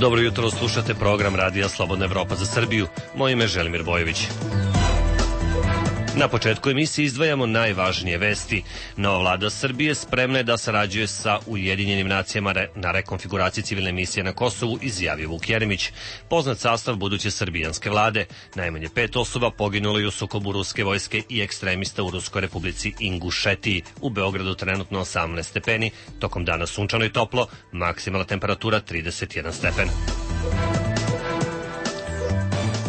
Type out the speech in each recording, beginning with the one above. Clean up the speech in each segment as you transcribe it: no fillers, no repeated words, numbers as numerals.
Dobro jutro, slušate program Radija Slobodna Evropa za Srbiju. Moje ime je Želimir Bojović. Na početku emisije izdvajamo najvažnije vesti. Nova vlada Srbije spremna je da sarađuje sa Ujedinjenim nacijama na rekonfiguraciji civilne misije na Kosovu, izjavio Vuk Jeremić. Poznat sastav buduće srbijanske vlade. Najmanje 5 osoba poginulo je u sukobu ruske vojske i ekstremista u Ruskoj republici Ingušetiji. U Beogradu trenutno 18 stepeni, tokom dana sunčano i toplo, maksimalna temperatura 31 stepen.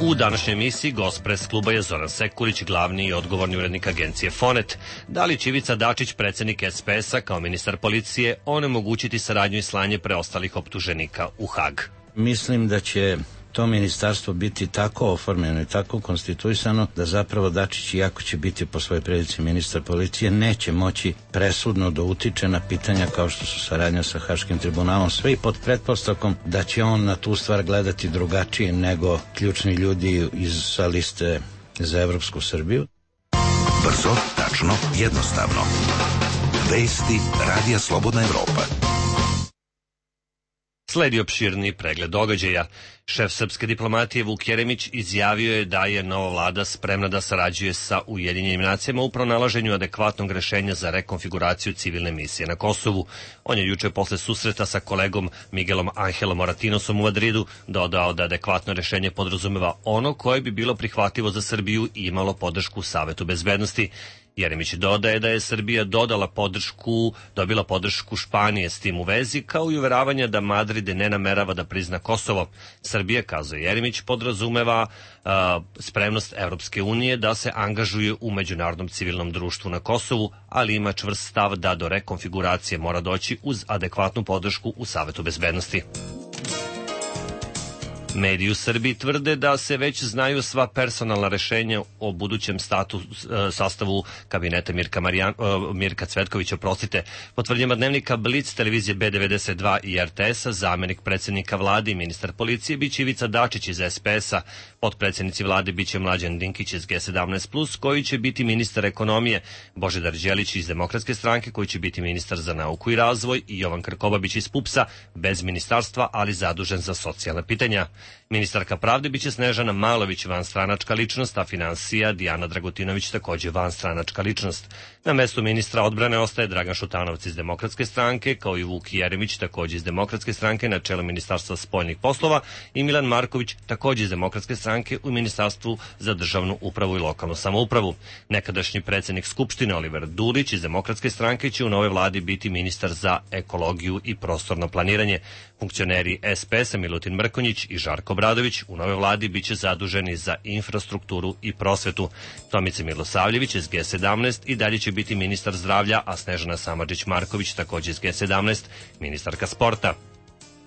U današnjoj emisiji gost pres kluba je Zoran Sekulić, glavni i odgovorni urednik agencije Fonet. Da li će Ivica Dačić, predsjednik SPS-a, kao ministar policije, onemogućiti saradnju i slanje preostalih optuženika u Hag? Mislim da će to ministarstvo biti tako oformljeno i tako konstituisano da zapravo Dačić, iako će biti po svojoj prilici ministar policije, neće moći presudno da utiče na pitanja kao što su saradnja sa Haškim tribunalom, sve i pod pretpostavkom da će on na tu stvar gledati drugačije nego ključni ljudi sa liste za Evropsku Srbiju. Brzo, tačno, jednostavno. Vesti Radija Slobodna Evropa. Sledi opširni pregled događaja. Šef srpske diplomatije Vuk Jeremić izjavio je da je nova vlada spremna da sarađuje sa Ujedinjenim nacijama u pronalaženju adekvatnog rešenja za rekonfiguraciju civilne misije na Kosovu. On je juče posle susreta sa kolegom Miguelom Angelom Moratinosom u Madridu dodao da adekvatno rešenje podrazumeva ono koje bi bilo prihvatljivo za Srbiju i imalo podršku u Savetu bezbednosti. Jeremić dodaje da je Srbija dobila podršku Španije s tim u vezi, kao i uveravanja da Madrid ne namerava da prizna Kosovo. Srbija, kazuje Jeremić, podrazumeva spremnost Evropske unije da se angažuje u međunarodnom civilnom društvu na Kosovu, ali ima čvrst stav da do rekonfiguracije mora doći uz adekvatnu podršku u Savetu bezbednosti. Mediji u Srbiji tvrde da se već znaju sva personalna rešenja o budućem sastavu kabineta Mirka Cvetkovića, po tvrdnjama dnevnika Blic, televizije B92 i RTS-a, zamenik predsjednika vlade i ministar policije biće Ivica Dačić iz SPS-a, potpredsjednici vlade biće Mlađan Dinkić iz G17+, koji će biti ministar ekonomije, Božidar Đelić iz Demokratske stranke, koji će biti ministar za nauku i razvoj, i Jovan Krkobabić iz PUPS-a, bez ministarstva, ali zadužen za socijalna pitanja. Ministarka pravde biće Snežana Malović, vanstranačka ličnost, a finansija Dijana Dragutinović, takođe vanstranačka ličnost. Na mestu ministra odbrane ostaje Dragan Šutanovac iz Demokratske stranke, kao i Vuk Jeremić, takođe iz Demokratske stranke, na čelu Ministarstva spoljnih poslova, i Milan Marković, takođe iz Demokratske stranke, u Ministarstvu za državnu upravu i lokalnu samoupravu. Nekadašnji predsjednik Skupštine Oliver Dulić iz Demokratske stranke će u novoj vladi biti ministar za ekologiju i prostorno planiranje. Funkcioneri SPS-a Milutin Mrkonjić i Žarko Obradović u novoj vladi biće zaduženi za infrastrukturu i prosvetu. Tomica Milosavljević iz G17 i dalje će biti ministar zdravlja, a Snežana Samardžić-Marković, takođe iz G17, ministarka sporta.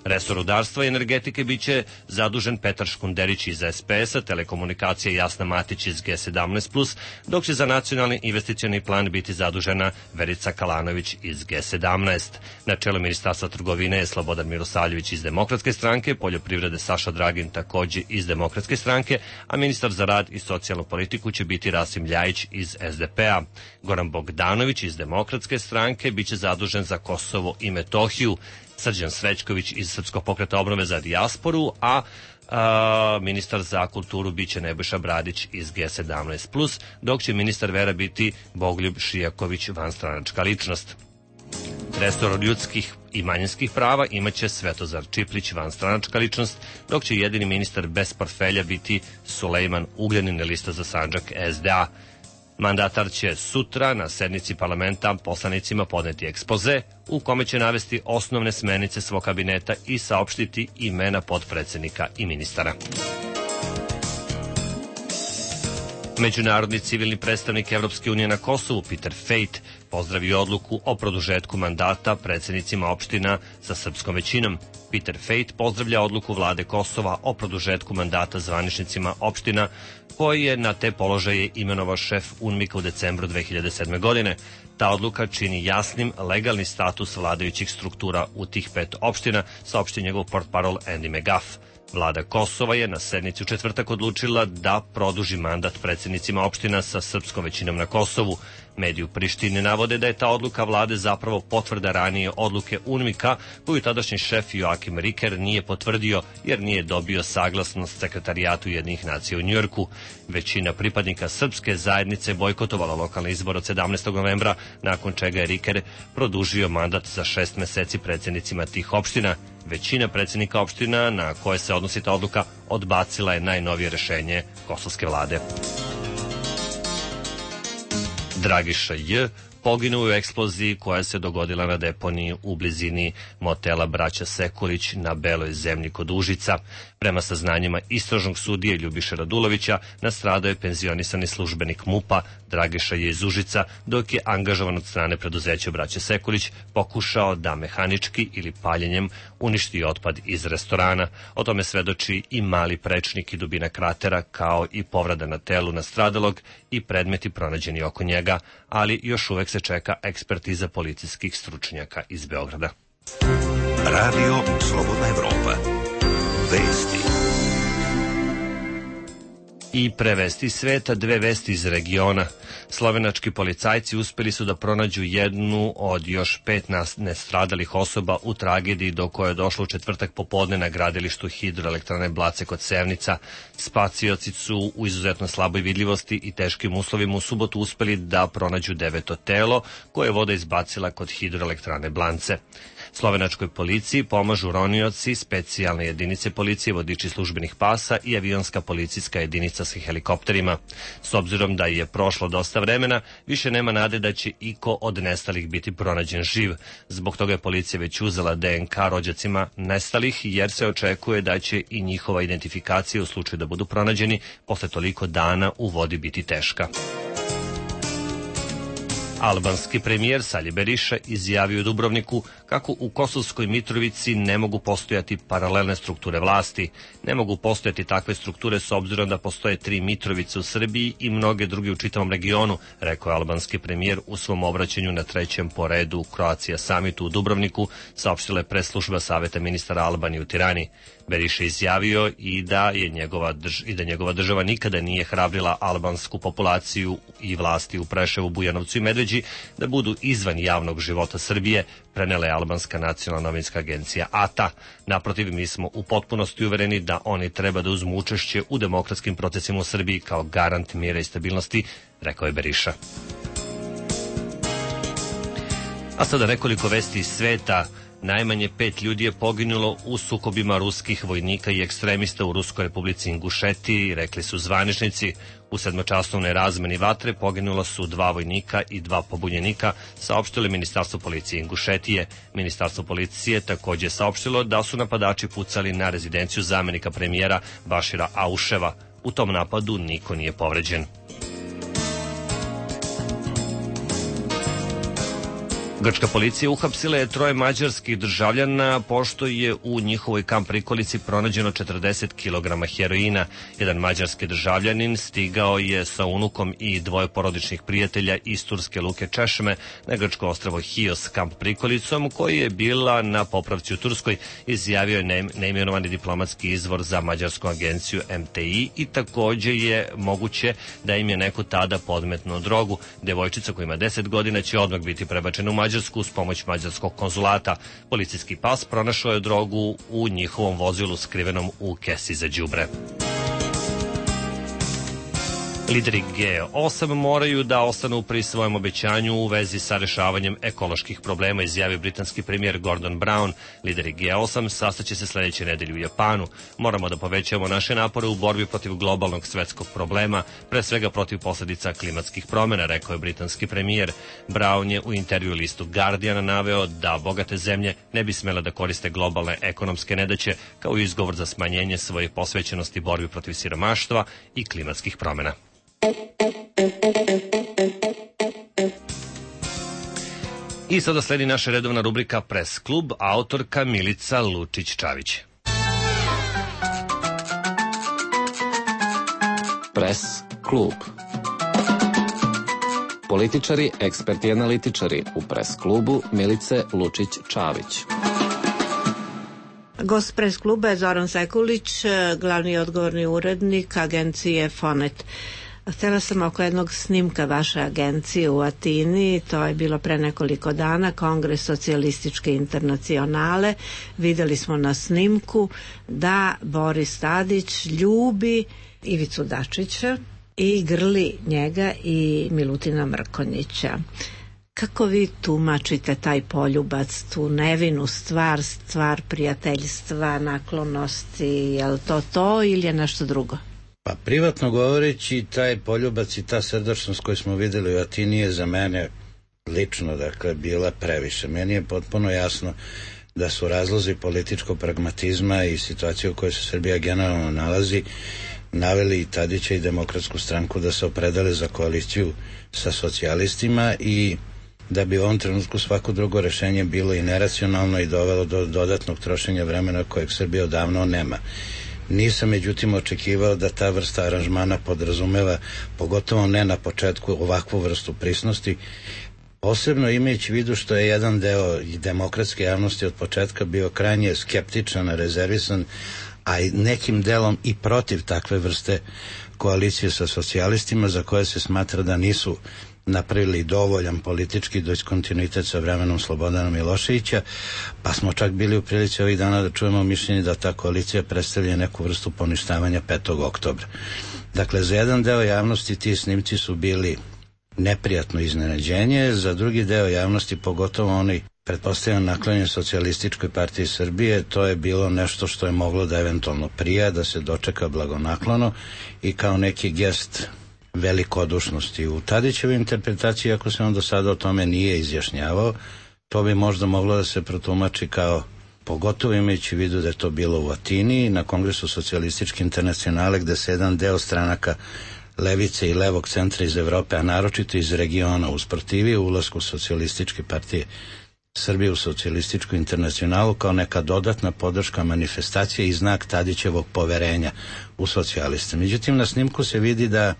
Resor rudarstva i energetike biće zadužen Petar Škunderić iz SPS-a, telekomunikacije Jasna Matić iz G17+, dok će za nacionalni investicioni plan biti zadužena Verica Kalanović iz G17. Na čelu Ministarstva trgovine je Slobodan Mirosavljević iz Demokratske stranke, poljoprivrede Saša Dragin, takođe iz Demokratske stranke, a ministar za rad i socijalnu politiku će biti Rasim Ljajić iz SDP-a. Goran Bogdanović iz Demokratske stranke biće zadužen za Kosovo i Metohiju. Srđan Srećković iz Srpskog pokreta obnove za dijasporu, a ministar za kulturu biće Nebojša Bradić iz G17+, dok će ministar vera biti Bogoljub Šijaković, vanstranačka ličnost. Resor ljudskih i manjinskih prava imaće Svetozar Čiplić, vanstranačka ličnost, dok će jedini ministar bez portfelja biti Sulejman Ugljanin, lista za Sandžak SDA. Mandatar će sutra na sednici parlamenta poslanicima podneti ekspoze u kome će navesti osnovne smernice svog kabineta i saopštiti imena potpredsednika i ministara. Međunarodni civilni predstavnik Evropske unije na Kosovu Peter Fejt pozdravio odluku o produžetku mandata predsednicima opština sa srpskom većinom. Peter Fejt pozdravlja odluku vlade Kosova o produžetku mandata zvaničnicima opština koji je na te položaje imenovao šef UNMIK-a u decembru 2007. godine. Ta odluka čini jasnim legalni status vladajućih struktura u tih 5 opština, saopštio njegov portparol Andy McGuff. Vlada Kosova je na sednici u četvrtak odlučila da produži mandat predsjednicima opština sa srpskom većinom na Kosovu. Mediji u Prištini navode da je ta odluka vlade zapravo potvrda ranije odluke UNMIK-a koju tadašnji šef Joakim Riker nije potvrdio jer nije dobio saglasnost Sekretarijatu Ujedinjenih nacija u Njujorku. Većina pripadnika srpske zajednice bojkotovala lokalni izbor od 17. novembra, nakon čega je Riker produžio mandat za 6 meseci predsjednicima tih opština. Većina predsjednika opština na koje se odnosi ta odluka odbacila je najnovije rešenje kosovske vlade. Dragiša J. poginuo u eksploziji koja se dogodila na deponiji u blizini motela Braća Sekulić na Beloj zemlji kod Užica. Prema saznanjima istražnog sudije Ljubiše Radulovića, nastradao je penzionisani službenik MUP-a Dragiša J. iz Užica, dok je angažovan od strane preduzeća Braće Sekulić pokušao da mehanički ili paljenjem uništi otpad iz restorana. O tome svedoči i mali prečnik i dubina kratera, kao i povreda na telu nastradalog i predmeti pronađeni oko njega, ali još uvek se čeka ekspertiza policijskih stručnjaka iz Beograda. Radio Slobodna Evropa. Vesti. I prevesti sveta, dve vesti iz regiona. Slovenački policajci uspeli su da pronađu jednu od još 5 nestradalih osoba u tragediji do koje je došlo u četvrtak popodne na gradilištu hidroelektrane Blace kod Sevnica. Spacioci su u izuzetno slaboj vidljivosti i teškim uslovima u subotu uspeli da pronađu 9. telo koje je voda izbacila kod hidroelektrane Blance. Slovenačkoj policiji pomažu ronioci, specijalne jedinice policije, vodiči službenih pasa i avionska policijska jedinica sa helikopterima. S obzirom da je prošlo dosta vremena, više nema nade da će iko od nestalih biti pronađen živ. Zbog toga je policija već uzela DNK rođacima nestalih, jer se očekuje da će i njihova identifikacija u slučaju da budu pronađeni posle toliko dana u vodi biti teška. Albanski premijer Sali Beriša izjavio u Dubrovniku kako u Kosovskoj Mitrovici ne mogu postojati paralelne strukture vlasti. Ne mogu postojati takve strukture s obzirom da postoje 3 Mitrovice u Srbiji i mnoge druge u čitavom regionu, rekao je albanski premijer u svom obraćanju na 3. po redu Croatia Summitu u Dubrovniku, saopštila je presslužba Saveta ministara Albanije u Tirani. Beriša izjavio i da njegova država nikada nije hrabrila albansku populaciju i vlasti u Preševu, Bujanovcu i Medveđi da budu izvan javnog života Srbije, prenela je albanska nacionalna novinska agencija ATA. Naprotiv, mi smo u potpunosti uvereni da oni treba da uzmu učešće u demokratskim procesima u Srbiji kao garant mira i stabilnosti, rekao je Beriša. A sada nekoliko vesti iz sveta. Najmanje 5 ljudi je poginulo u sukobima ruskih vojnika i ekstremista u Ruskoj republici Ingušetiji, rekli su zvaničnici. U 7-časovnoj razmeni vatre poginulo su 2 vojnika i 2 pobunjenika, saopštilo Ministarstvo policije Ingušetije. Ministarstvo policije takođe saopštilo da su napadači pucali na rezidenciju zamenika premijera Bašira Auševa. U tom napadu niko nije povređen. Grčka policija uhapsila je 3 mađarskih državljana pošto je u njihovoj kamp prikolici pronađeno 40 kg heroina. Jedan mađarski državljanin stigao je sa unukom i 2 porodičnih prijatelja iz turske luke Češme na grčko ostrvo Hios kamp prikolicom, koji je bila na popravci u Turskoj, izjavio je neimenovani diplomatski izvor za mađarsku agenciju MTI i takođe je moguće da im je neko tada podmetnuo drogu. Devojčica koja ima 10 godina će odmah biti prebačena u Mađarsku uz pomoć mađarskog konzulata. Policijski pas pronašao je drogu u njihovom vozilu skrivenom u kesi za đubre. Lideri G8 moraju da ostanu pri svojem obećanju u vezi sa rešavanjem ekoloških problema, izjavio britanski premijer Gordon Brown. Lideri G8 sastaće se sledeće nedelje u Japanu. Moramo da povećamo naše napore u borbi protiv globalnog svetskog problema, pre svega protiv posledica klimatskih promena, rekao je britanski premijer. Brown je u intervju listu Guardian naveo da bogate zemlje ne bi smele da koriste globalne ekonomske nedaće kao izgovor za smanjenje svoje posvećenosti borbi protiv siromaštva i klimatskih promena. I sada sledi naša redovna rubrika Press klub, autorka Milica Lučić-Čavić. Press klub. Političari, eksperti i analitičari u Press klubu Milice Lučić-Čavić. Gost Press kluba je Zoran Sekulić, glavni odgovorni urednik agencije Fonet. Htjela sam oko jednog snimka vaše agencije u Atini, to je bilo pre nekoliko dana, Kongres socijalističke internacionale. Vidjeli smo na snimku da Boris Tadić ljubi Ivicu Dačića i grli njega i Milutina Mrkonjića. Kako vi tumačite taj poljubac, tu nevinu stvar prijateljstva, naklonosti, je li to ili je nešto drugo? Pa privatno govoreći, taj poljubac i ta srdačnost koju smo vidjeli u Atini je za mene lično, dakle, bila previše. Meni je potpuno jasno da su razlozi političkog pragmatizma i situacije u kojoj se Srbija generalno nalazi naveli i Tadića i Demokratsku stranku da se opredele za koaliciju sa socijalistima i da bi u ovom trenutku svako drugo rešenje bilo i neracionalno i dovelo do dodatnog trošenja vremena kojeg Srbija odavno nema. Nisam međutim očekivao da ta vrsta aranžmana podrazumeva, pogotovo ne na početku, ovakvu vrstu prisnosti, posebno imajući vidu što je jedan deo demokratske javnosti od početka bio krajnje skeptičan, rezervisan, a i nekim delom i protiv takve vrste koalicije sa socijalistima za koje se smatra da nisu napravili dovoljan politički diskontinuitet sa vremenom Slobodana Miloševića, pa smo čak bili u prilici ovih dana da čujemo mišljenje da ta koalicija predstavlja neku vrstu poništavanja 5. oktobra. Dakle, za jedan deo javnosti ti snimci su bili neprijatno iznenađenje, za drugi deo javnosti, pogotovo oni pretpostavljam naklonjen Socijalističkoj partiji Srbije, to je bilo nešto što je moglo da eventualno prija, da se dočeka blagonaklono i kao neki gest velikodušnosti. U Tadićevoj interpretaciji, ako se on do sada o tome nije izjašnjavao, to bi možda moglo da se protumači kao, pogotovo imajući vidu da je to bilo u Atini, na Kongresu socijalističke internacionale, gde se jedan deo stranaka levice i levog centra iz Evrope, a naročito iz regiona, usprotivio ulasku socijalističke partije Srbije u socijalističku internacionalu kao neka dodatna podrška manifestacije i znak Tadićevog poverenja u socijaliste. Međutim, na snimku se vidi da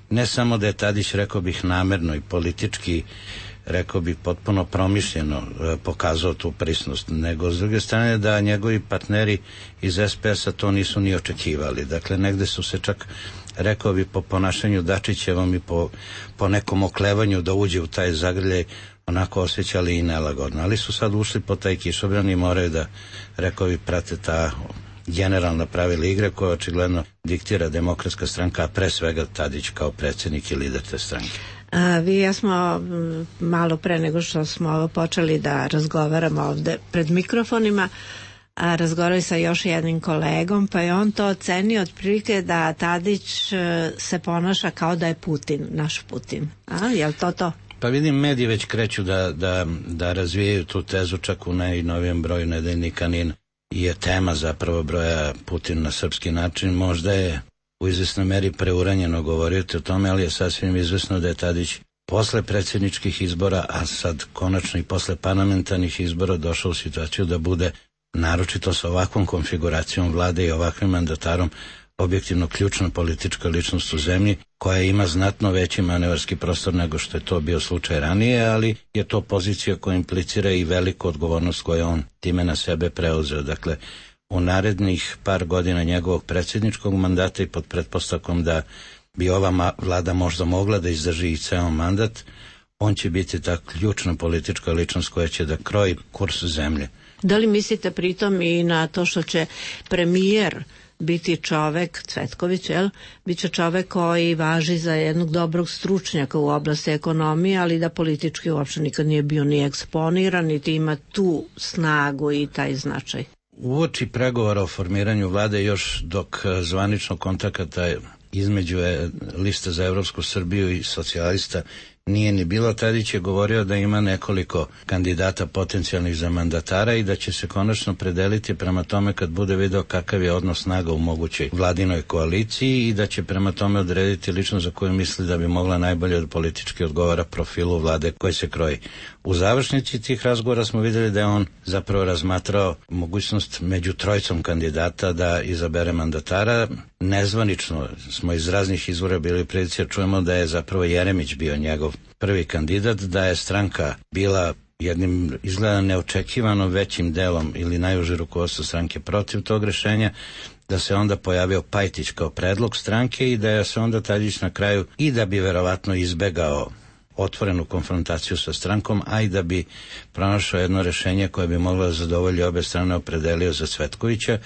ne samo da je Tadić, rekao bih, namerno i politički, rekao bih, potpuno promišljeno pokazao tu prisnost, nego s druge strane da njegovi partneri iz SPS-a to nisu ni očekivali. Dakle, negde su se čak, rekao bih, po ponašanju Dačićevom i po nekom oklevanju da uđe u taj zagrljaj onako osjećali i nelagodno, ali su sad ušli po taj kišobran i moraju da, rekao bih, prate ta generalna pravila igre koja očigledno diktira Demokratska stranka, a pre svega Tadić kao predsjednik i lider te stranke. Vi i ja smo malo pre nego što smo počeli da razgovaramo ovde pred mikrofonima, razgovarali sa još jednim kolegom, pa je on to ocenio otprilike da Tadić se ponaša kao da je Putin, naš Putin. Je li to? Pa vidim, mediji već kreću da razvijaju tu tezu, čak u najnovijem broju nedeljnika NIN je tema zapravo broja Putin na srpski način. Možda je u izvesnoj meri preuranjeno govoriti o tome, ali je sasvim izvesno da je Tadić posle predsjedničkih izbora, a sad konačno i posle parlamentarnih izbora, došao u situaciju da bude, naročito sa ovakvom konfiguracijom vlade i ovakvim mandatarom, objektivno ključna politička ličnost u zemlji koja ima znatno veći manevarski prostor nego što je to bio slučaj ranije, ali je to pozicija koja implicira i veliku odgovornost koju on time na sebe preuzeo. Dakle, u narednih par godina njegovog predsjedničkog mandata i pod pretpostavkom da bi ova vlada možda mogla da izdrži i ceo mandat, on će biti ta ključna politička ličnost koja će da kroji kurs zemlje. Da li mislite pritom i na to što će premijer biti čovek, Cvetković, bit će čovek koji važi za jednog dobrog stručnjaka u oblasti ekonomije, ali da politički uopšte nikad nije bio ni eksponiran, niti ima tu snagu i taj značaj? Uoči pregovora o formiranju vlade, još dok zvanično kontakata između liste za Evropsku Srbiju i socijalista nije ni bilo, Tadić je govorio da ima nekoliko kandidata potencijalnih za mandatara i da će se konačno predeliti prema tome kad bude video kakav je odnos snaga u mogućoj vladinoj koaliciji i da će prema tome odrediti ličnost za koju misli da bi mogla najbolje od politički odgovara profilu vlade koji se kroji. U završnici tih razgovora smo vidjeli da je on zapravo razmatrao mogućnost među trojicom kandidata da izabere mandatara. Nezvanično smo iz raznih izvora bili prilici, čujemo da je zapravo Jeremić bio njegov prvi kandidat, da je stranka bila jednim izgleda neočekivano većim delom ili najuže rukovodstvo stranke protiv tog rešenja, da se onda pojavio Pajtić kao predlog stranke i da je se onda Tadić na kraju, i da bi verovatno izbegao otvorenu konfrontaciju sa strankom, a i da bi pronašao jedno rešenje koje bi moglo da zadovolji obe strane, opredelio za Cvetkovića,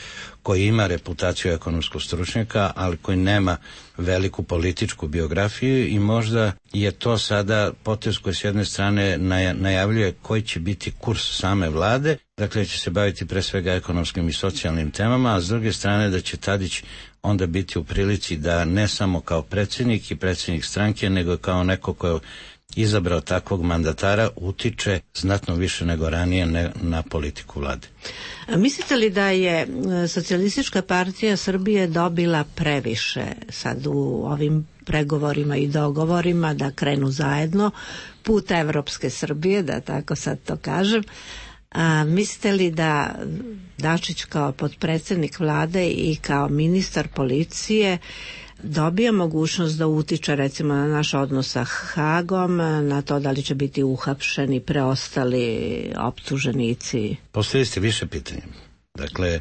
koji ima reputaciju ekonomskog stručnjaka, ali koji nema veliku političku biografiju, i možda je to sada potez koji s jedne strane najavljuje koji će biti kurs same vlade, dakle će se baviti pre svega ekonomskim i socijalnim temama, a s druge strane da će Tadić onda biti u prilici da ne samo kao predsjednik i predsjednik stranke, nego kao neko ko je izabrao takvog mandatara utiče znatno više nego ranije na politiku vlade. Mislite li da je Socijalistička partija Srbije dobila previše sad u ovim pregovorima i dogovorima da krenu zajedno put evropske Srbije, da tako sad to kažem? Mislite li da Dačić kao potpredsjednik vlade i kao ministar policije dobija mogućnost da utiče recimo na naš odnos sa Hagom, na to da li će biti uhapšeni preostali optuženici? Postavili ste više pitanja. Dakle,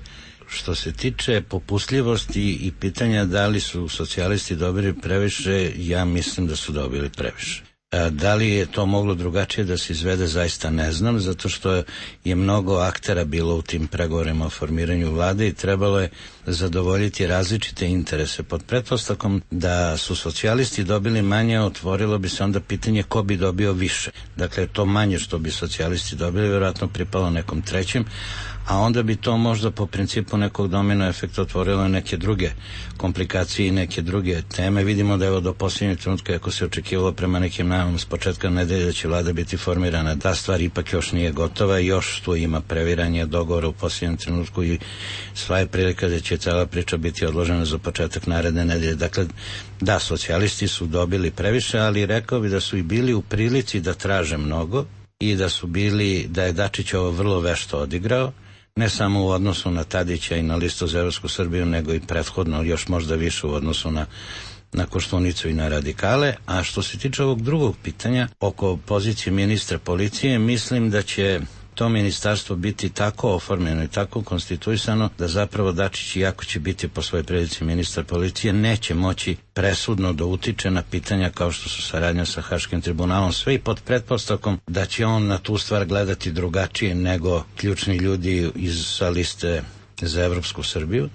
što se tiče popustljivosti i pitanja da li su socijalisti dobili previše, ja mislim da su dobili previše. Da li je to moglo drugačije da se izvede, zaista ne znam, zato što je mnogo aktera bilo u tim pregovorima o formiranju vlade i trebalo je zadovoljiti različite interese. Pod pretpostavkom da su socijalisti dobili manje, otvorilo bi se onda pitanje ko bi dobio više. Dakle, to manje što bi socijalisti dobili vjerojatno pripalo nekom trećem, a onda bi to možda po principu nekog domino efekta otvorilo neke druge komplikacije i neke druge teme. Vidimo da evo do posljednjeg trenutka, ako se očekivalo prema nekim najavama s početka nedelje da će vlada biti formirana, ta stvar ipak još nije gotova, još tu ima previranje dogovora u posljednjem trenutku i sva je prilika da će cela priča biti odložena za početak naredne nedelje. Dakle, da, socijalisti su dobili previše, ali rekao bi da su i bili u prilici da traže mnogo i da je Dačić ovo vrlo vešto odigrao, ne samo u odnosu na Tadića i na listu za Evropsku Srbiju, nego i prethodno još možda više u odnosu na Koštunicu i na radikale. A što se tiče ovog drugog pitanja oko pozicije ministra policije, mislim da će to ministarstvo biti tako oformljeno i tako konstituisano da zapravo Dačić, iako će biti po svojoj prilici ministar policije, neće moći presudno da utiče na pitanja kao što su saradnja sa Haškim tribunalom, sve i pod pretpostavkom da će on na tu stvar gledati drugačije nego ključni ljudi sa liste za Evropsku Srbiju.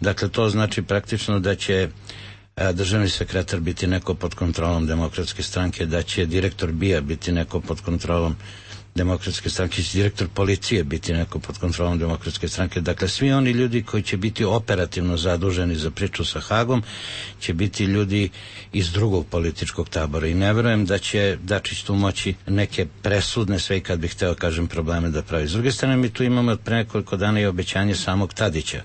Dakle, to znači praktično da će državni sekretar biti neko pod kontrolom Demokratske stranke, da će direktor BIA biti neko pod kontrolom Demokratske stranke, direktor policije biti neko pod kontrolom Demokratske stranke. Dakle, svi oni ljudi koji će biti operativno zaduženi za priču sa Hagom će biti ljudi iz drugog političkog tabora i ne verujem da će Dačić tu moći neke presudne, sve i kad bih hteo kažem, probleme da pravi. S druge strane, mi tu imamo od pre nekoliko dana i obećanje samog Tadića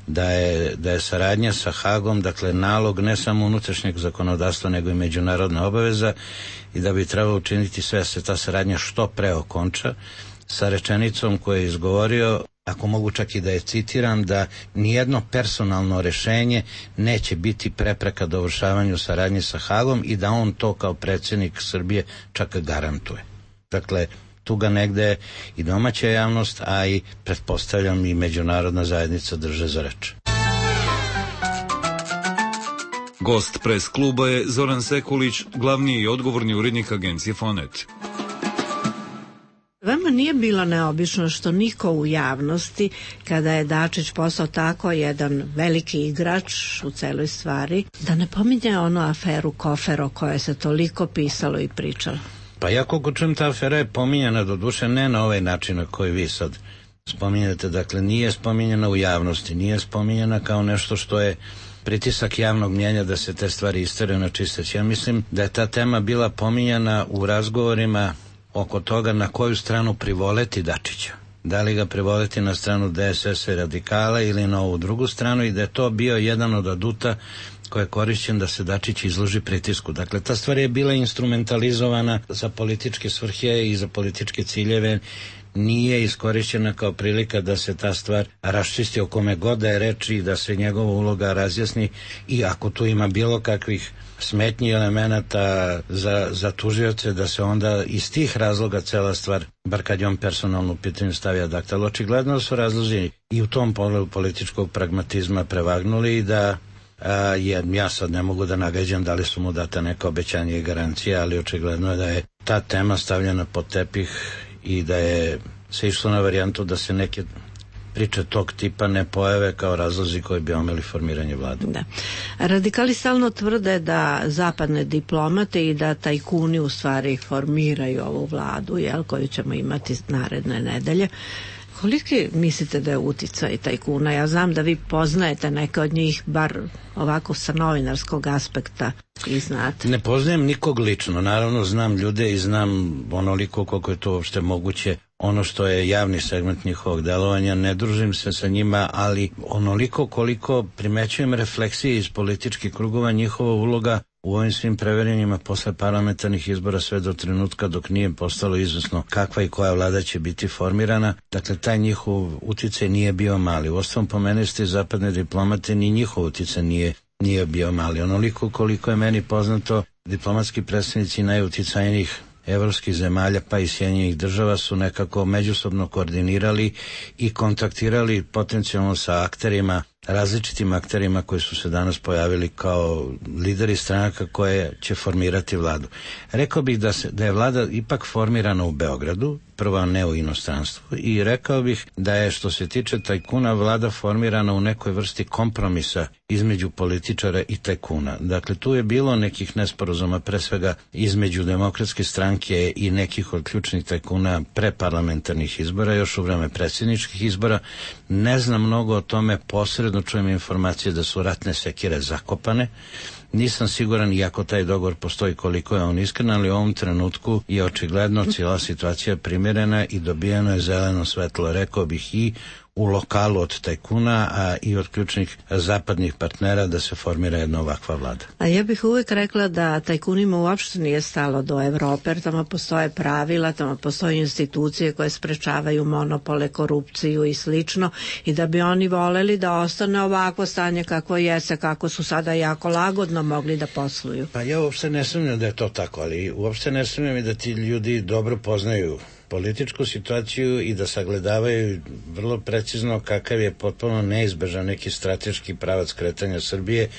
da je saradnja sa Hagom, dakle nalog ne samo unutrašnjeg zakonodavstva nego i međunarodna obaveza i da bi trebalo učiniti sve da se ta saradnja što pre okonča, sa rečenicom koju je izgovorio, ako mogu čak i da je citiram, da nijedno personalno rešenje neće biti prepreka dovršavanju saradnje sa Hagom i da on to kao predsjednik Srbije čak garantuje. Dakle, tu ga negde i domaća javnost, a i pretpostavljam i međunarodna zajednica drže za reč. Gost pres kluba je Zoran Sekulić, glavni i odgovorni urednik agencije Fonet. Vama nije bilo neobično što niko u javnosti, kada je Dačić postao tako jedan veliki igrač u celoj stvari, da ne pominje onu aferu Kofer o kojoj se toliko pisalo i pričalo? Pa ja koliko čujem, ta afera je pominjena, doduše ne na ovaj način na koji vi sad spominjate, dakle nije spominjena u javnosti, nije spominjena kao nešto što je pritisak javnog mnjenja da se te stvari isteraju na čisteć. Ja mislim da je ta tema bila pominjana u razgovorima oko toga na koju stranu privoleti Dačića. Da li ga privoleti na stranu DSS-a i radikala ili na ovu drugu stranu, i da je to bio jedan od aduta koji je korišćen da se Dačić izloži pritisku. Dakle, ta stvar je bila instrumentalizovana za političke svrhe i za političke ciljeve. nije iskorišćena kao prilika da se ta stvar raščisti o kome god da je reči i da se njegova uloga razjasni, i ako tu ima bilo kakvih smetnji elemenata za tužioce, da se onda iz tih razloga cela stvar, bar kad je on personalno u pitanju, stavlja dakle. Ali očigledno su razlozi i u tom pogledu političkog pragmatizma prevagnuli i da ja sad ne mogu da nagađam da li su mu data neka obećanja i garancije, ali očigledno je da je ta tema stavljena pod tepih i da je se išlo na varijantu da se neke priče tog tipa ne pojave kao razlozi koji bi omeli formiranje vlade. Da. Radikali stalno tvrde da zapadne diplomate i da tajkuni u stvari formiraju ovu vladu, koju ćemo imati naredne nedelje. Koliki mislite da je uticaj tajkuna? Ja znam da vi poznajete neke od njih, bar ovako sa novinarskog aspekta, i znate. Ne poznajem nikog lično, naravno znam ljude i znam onoliko koliko je to uopšte moguće, ono što je javni segment njihovog delovanja, ne družim se sa njima, ali onoliko koliko primećujem refleksije iz političkih krugova, njihova uloga u ovim svim preverenjima posle parlamentarnih izbora sve do trenutka dok nije postalo izvesno kakva i koja vlada će biti formirana. Dakle, taj njihov uticaj nije bio mali. Uostalom, pomenuli ste zapadne diplomate, ni njihov uticaj nije bio mali. Onoliko koliko je meni poznato, diplomatski predstavnici najuticajnijih evropskih zemalja pa i Sjedinjenih Država su nekako međusobno koordinirali i kontaktirali potencijalno sa akterima, različitim akterima koji su se danas pojavili kao lideri stranaka koje će formirati vladu. Rekao bih da je vlada ipak formirana u Beogradu, prvo ne u inostranstvu, i rekao bih da je, što se tiče tajkuna, vlada formirana u nekoj vrsti kompromisa između političara i tajkuna. Dakle, tu je bilo nekih nesporazuma, pre svega između Demokratske stranke i nekih od ključnih tajkuna pre parlamentarnih izbora, još u vreme predsjedničkih izbora. Ne znam mnogo o tome, posredno čujem informacije da su ratne sekire zakopane. Nisam siguran, iako taj dogovor postoji, koliko je on iskren, ali u ovom trenutku je očigledno cijela situacija primjerena i dobijeno je zeleno svetlo, rekao bih, i u lokalu od tajkuna, a i od ključnih zapadnih partnera da se formira jedna ovakva vlada. A ja bih uvijek rekla da tajkunima uopšte nije stalo do Evrope, jer tamo postoje pravila, tamo postoje institucije koje sprečavaju monopole, korupciju i slično, i da bi oni voleli da ostane ovakvo stanje kako jeste, kako su sada jako lagodno mogli da posluju. Pa ja uopšte ne sumnjam da je to tako, ali uopšte ne sumnjam i da ti ljudi dobro poznaju političku situaciju i da sagledavaju vrlo precizno kakav je potpuno neizbežan neki strateški pravac kretanja Srbije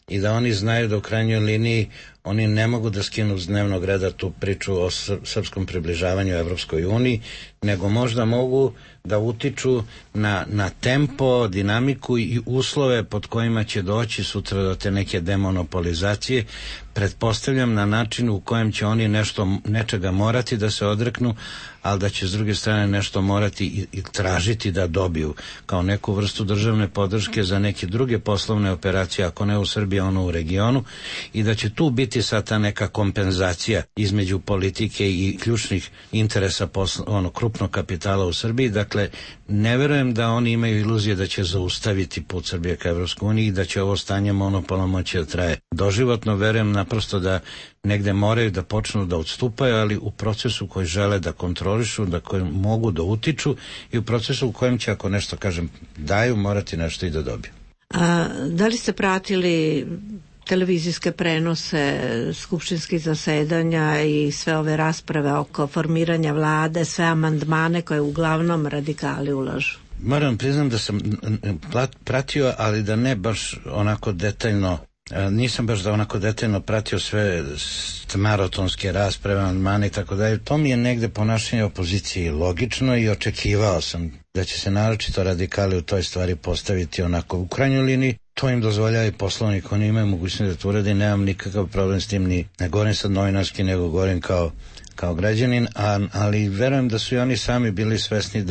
i da oni znaju da u krajnjoj liniji oni ne mogu da skinu s dnevnog reda tu priču o srpskom približavanju Evropskoj uniji, nego možda mogu da utiču na tempo, dinamiku i uslove pod kojima će doći sutra do te neke demonopolizacije. Pretpostavljam na način u kojem će oni nečega morati da se odreknu, ali da će s druge strane nešto morati i tražiti da dobiju kao neku vrstu državne podrške za neke druge poslovne operacije, ako ne u Srbiji, ono u regionu, i da će tu biti sad ta neka kompenzacija između politike i ključnih interesa krupnog kapitala u Srbiji. Dakle, ne verujem da oni imaju iluzije da će zaustaviti put Srbije ka Evropskoj uniji i da će ovo stanje monopola moći da traje doživotno. Verujem naprosto da negde moraju da počnu da odstupaju, ali u procesu koji žele da kontrolišu, da koji mogu da utiču, i u procesu u kojem će, ako nešto kažem daju, morati nešto i da dobiju. A da li ste pratili televizijske prenose skupštinskih zasedanja i sve ove rasprave oko formiranja vlade, sve amandmane koje uglavnom radikali ulažu? Moram priznam da sam pratio, ali da ne baš onako detaljno. Nisam baš da onako detaljno pratio sve maratonske rasprave, amandmane i tako dalje. To mi je negde ponašanje opozicije logično i očekivao sam da će se naročito radikali u toj stvari postaviti onako. U krajnjoj liniji to im dozvoljava i Poslovnik, oni imaju mogućnost da to urade i nemam nikakav problem s tim, ni ne govorim sad novinarski, nego govorim kao građanin, ali verujem da su i oni sami bili svesni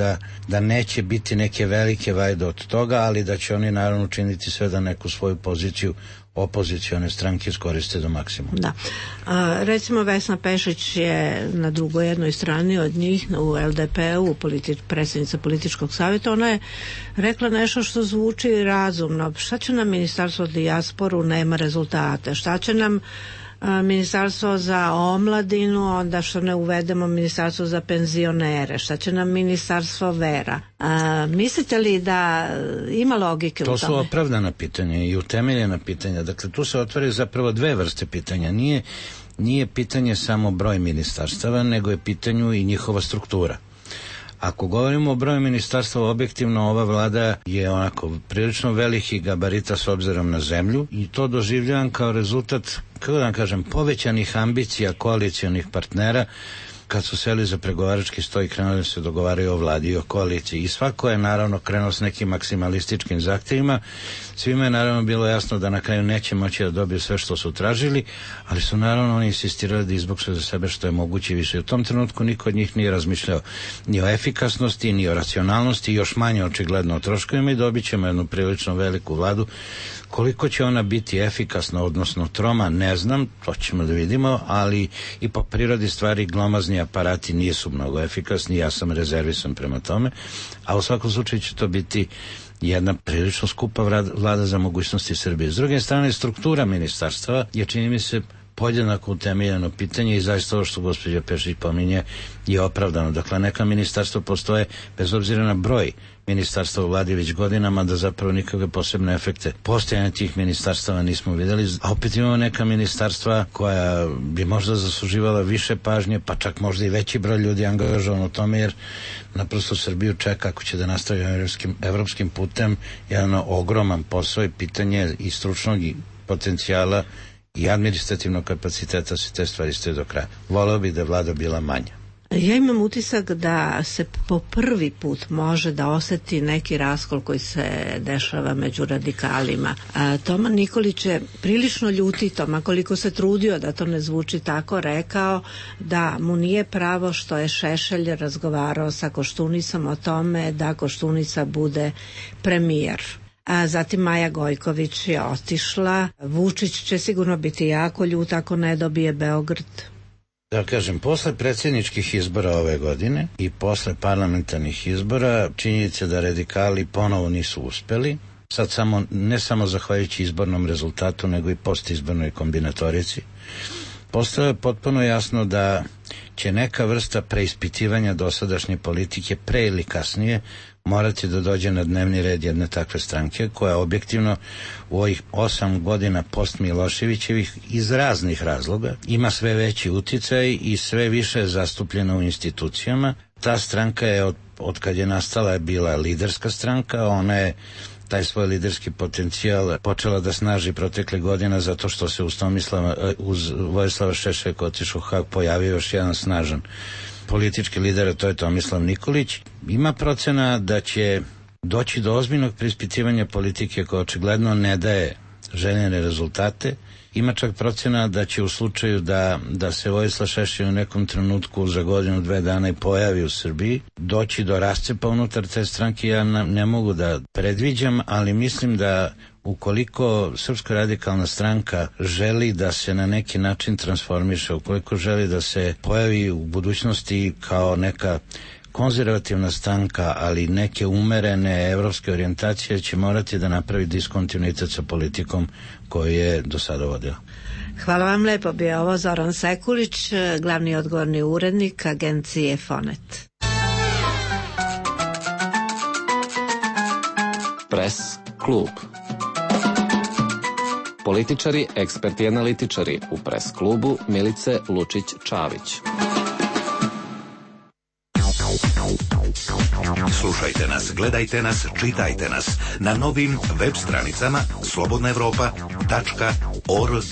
da neće biti neke velike vajde od toga, ali da će oni naravno učiniti sve da neku svoju poziciju opozicione stranke iskoriste do maksimuma. Da. Recimo Vesna Pešić je na drugoj jednoj strani od njih u LDP-u, predsjednica političkog savjeta. Ona je rekla nešto što zvuči razumno. Šta će nam Ministarstvo dijasporu, nema rezultate? Šta će nam Ministarstvo za omladinu, onda što ne uvedemo ministarstvo za penzionere, šta će nam ministarstvo vera? Mislite li da ima logike u tome? To su opravdana pitanja i utemeljena pitanja. Dakle, tu se otvaraju zapravo dve vrste pitanja. Nije pitanje samo broj ministarstava, nego je pitanju i njihova struktura. Ako govorimo o broju ministarstva, objektivno ova vlada je onako prilično velikih gabarita s obzirom na zemlju i to doživljavam kao rezultat, kako da vam kažem, povećanih ambicija koalicionih partnera kad su seli za pregovarački sto i krenuli se dogovaraju o vladi i o koaliciji. I svako je naravno krenuo s nekim maksimalističkim zahtjevima. Svima je naravno bilo jasno da na kraju neće moći da dobiju sve što su tražili, ali su naravno oni insistirali da izboksuju za sebe što je moguće više. U tom trenutku niko od njih nije razmišljao ni o efikasnosti, ni o racionalnosti, još manje očigledno o troškovima i dobit ćemo jednu prilično veliku vladu. Koliko će ona biti efikasna, odnosno troma, ne znam, to ćemo da vidimo, ali i po prirodi stvari glomazni aparati nisu mnogo efikasni, ja sam rezervisan prema tome, a u svakom slučaju će to biti jedna prilično skupa vlada za mogućnosti Srbije. S druge strane, struktura ministarstava je, čini mi se, podjednako utemeljeno pitanje i zaista ovo što gospođa Pešić pominje je opravdano. Dakle, neka ministarstva postoje bez obzira na broj ministarstva u vladi već godinama, da zapravo nikakve posebne efekte postojanja tih ministarstava nismo vidjeli, a opet imamo neka ministarstva koja bi možda zasluživala više pažnje, pa čak možda i veći broj ljudi angažovan u tome, jer naprosto Srbiju čeka, ako će da nastavi evropskim putem, jedan ogroman posao i pitanje i stručnog potencijala i administrativnog kapaciteta se te stvari stoje do kraja. Voleo bi da vlada bila manja. Ja imam utisak da se po prvi put može da oseti neki raskol koji se dešava među radikalima. Toma Nikolić je prilično ljutito, ma koliko se trudio da to ne zvuči tako, rekao da mu nije pravo što je Šešelj razgovarao sa Koštunisom o tome da Koštunica bude premijer. A zatim Maja Gojković je otišla. Vučić će sigurno biti jako ljut ako ne dobije Beograd. Da kažem, posle predsjedničkih izbora ove godine i posle parlamentarnih izbora činjenica da radikali ponovo nisu uspeli, sad ne samo zahvaljujući izbornom rezultatu, nego i postizbornoj kombinatorici, postalo je potpuno jasno da će neka vrsta preispitivanja dosadašnje politike pre ili kasnije morati da dođe na dnevni red jedne takve stranke koja objektivno u ovih 8 godina post Miloševićevih iz raznih razloga ima sve veći uticaj i sve više zastupljena u institucijama. Ta stranka je od kad je nastala je bila liderska stranka, ona je taj svoj liderski potencijal počela da snaži protekle godina zato što se uz Vojislava Šešelja koji je otišao u Hag pojavio još jedan snažan politički lider, a to je Tomislav Nikolić. Ima procena da će doći do ozbiljnog preispitivanja politike koja očigledno ne daje željene rezultate. Ima čak procena da će u slučaju da se Vojislav Šešelj u nekom trenutku za godinu, 2 dana i pojavi u Srbiji, doći do rascepa unutar te stranke. Ja ne mogu da predviđam, ali mislim da ukoliko Srpska radikalna stranka želi da se na neki način transformiše, ukoliko želi da se pojavi u budućnosti kao neka konzervativna stranka, ali neke umerene evropske orijentacije, će morati da napravi diskontinuitet sa politikom koju je do sada vodila. Hvala vam lepo, bio ovo Zoran Sekulić, glavni odgovorni urednik agencije Fonet. Pres klub. Političari, eksperti i analitičari u Pres klubu Milice Lučić-Čavić. Slušajte nas, gledajte nas, čitajte nas na novim web stranicama slobodnaevropa.org.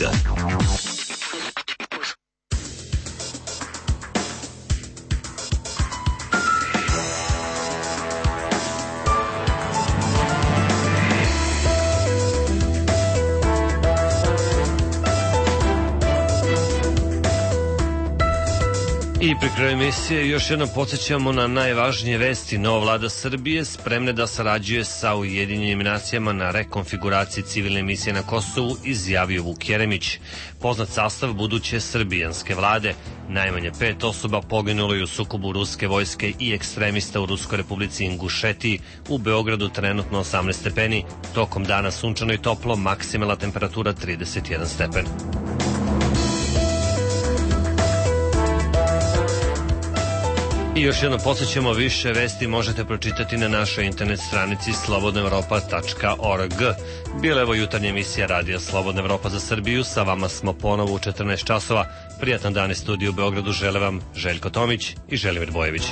I pri kraju emisije još jednom podsjećamo na najvažnije vesti. Nova vlada Srbije spremna da sarađuje sa Ujedinjenim nacijama na rekonfiguraciji civilne misije na Kosovu, izjavio Vuk Jeremić. Poznat sastav buduće srbijanske vlade. Najmanje 5 osoba poginulo je u sukobu ruske vojske i ekstremista u Ruskoj republici Ingušetiji. U Beogradu trenutno 18 stepeni. Tokom dana sunčano i toplo, maksimalna temperatura 31 stepen. I još jednom podsjećamo, više vesti možete pročitati na našoj internet stranici slobodnaevropa.org. Bila je ovo jutarnja emisija Radija Slobodna Evropa za Srbiju. Sa vama smo ponovo u 14 časova. Prijatan dan iz studiju u Beogradu žele vam Željko Tomić i Želimir Bojević.